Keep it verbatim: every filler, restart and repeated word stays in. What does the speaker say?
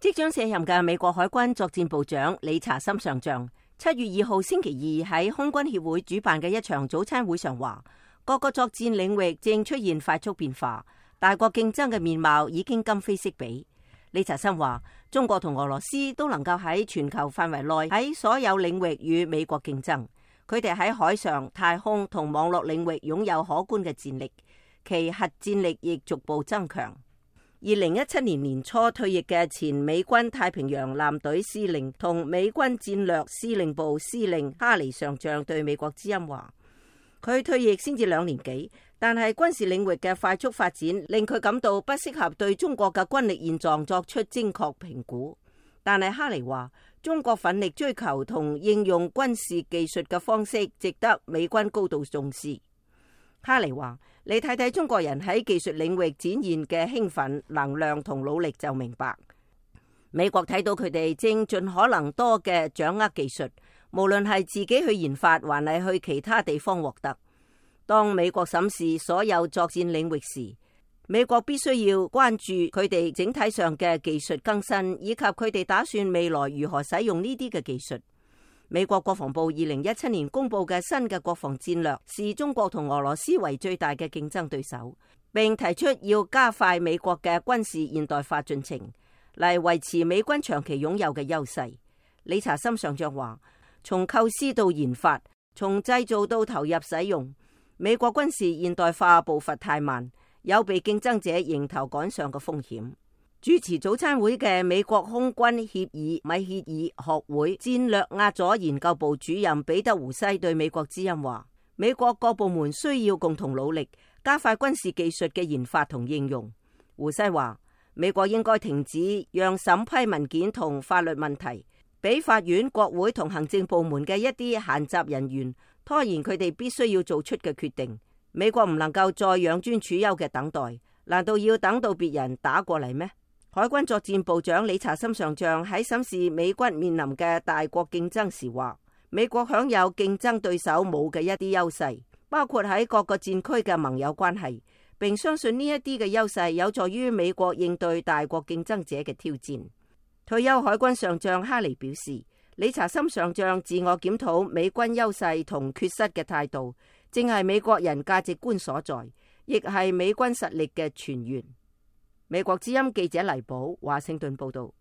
即將卸任嘅美國海軍作戰部長理查森上將，七月二號星期二喺空軍協會主辦嘅一場早餐會上話，各個作戰領域正出現快速變化，大國競爭嘅面貌已經今非昔比。理查森話，中國同俄羅斯都能夠喺全球範圍內喺所有領域與美國競爭，佢哋喺海上、太空同網絡領域擁有可觀嘅戰力，其核戰力亦逐步增強。二零一七年年初退役嘅前美軍太平洋艦隊司令同美軍戰略司令部司令哈尼上將對美國之音話，佢退役先至兩年幾，但係軍事領域嘅快速發展令佢感到不適合對中國嘅軍力現狀作出精確評估。但係哈尼話，中國奮力追求同應用軍事技術嘅方式值得美軍高度重視。哈尼話，你睇睇中國人喺技術領域展現嘅興奮、能量同努力就明白。美國睇到佢哋正盡可能多嘅掌握技術，無論係自己去研發，還係去其他地方獲得。當美國審視所有作戰領域時，美國必須要關注佢哋整體上嘅技術更新，以及佢哋打算未來如何使用呢啲嘅技術。美國國防部二零一七年公布嘅新嘅國防戰略，視中國同俄羅斯為最大嘅競爭對手，並提出要加快美國嘅軍事現代化進程，嚟維持美軍長期擁有嘅優勢。理查森上將話，從構思到研發，從製造到投入使用，美國軍事現代化步伐太慢，有被競爭者迎頭趕上嘅風險。主持早餐會嘅美國空軍協議米歇爾學會戰略亞佐研究部主任彼得胡西對美國之音話，美國各部門需要共同努力，加快軍事技術嘅研發同應用。胡西話，美國應該停止讓審批文件同法律問題俾法院、國會同行政部門嘅一啲閒雜人員拖延佢哋必須要做出嘅決定。美國唔能夠再養尊處優嘅等待，難道要等到別人打過嚟咩？海軍作戰部長理查森上將喺審視美軍面臨嘅大國競爭時話，美國享有競爭對手冇嘅一啲優勢，包括喺各個戰區嘅盟友關係，並相信呢一啲嘅優勢有助於美國應對大國競爭者嘅挑戰。退休海軍上將哈尼表示，理查森上將自我檢討美軍優勢同缺失嘅態度，正係美國人價值觀所在，亦係美軍實力嘅泉源。美國之音記者黎寶華盛頓報道。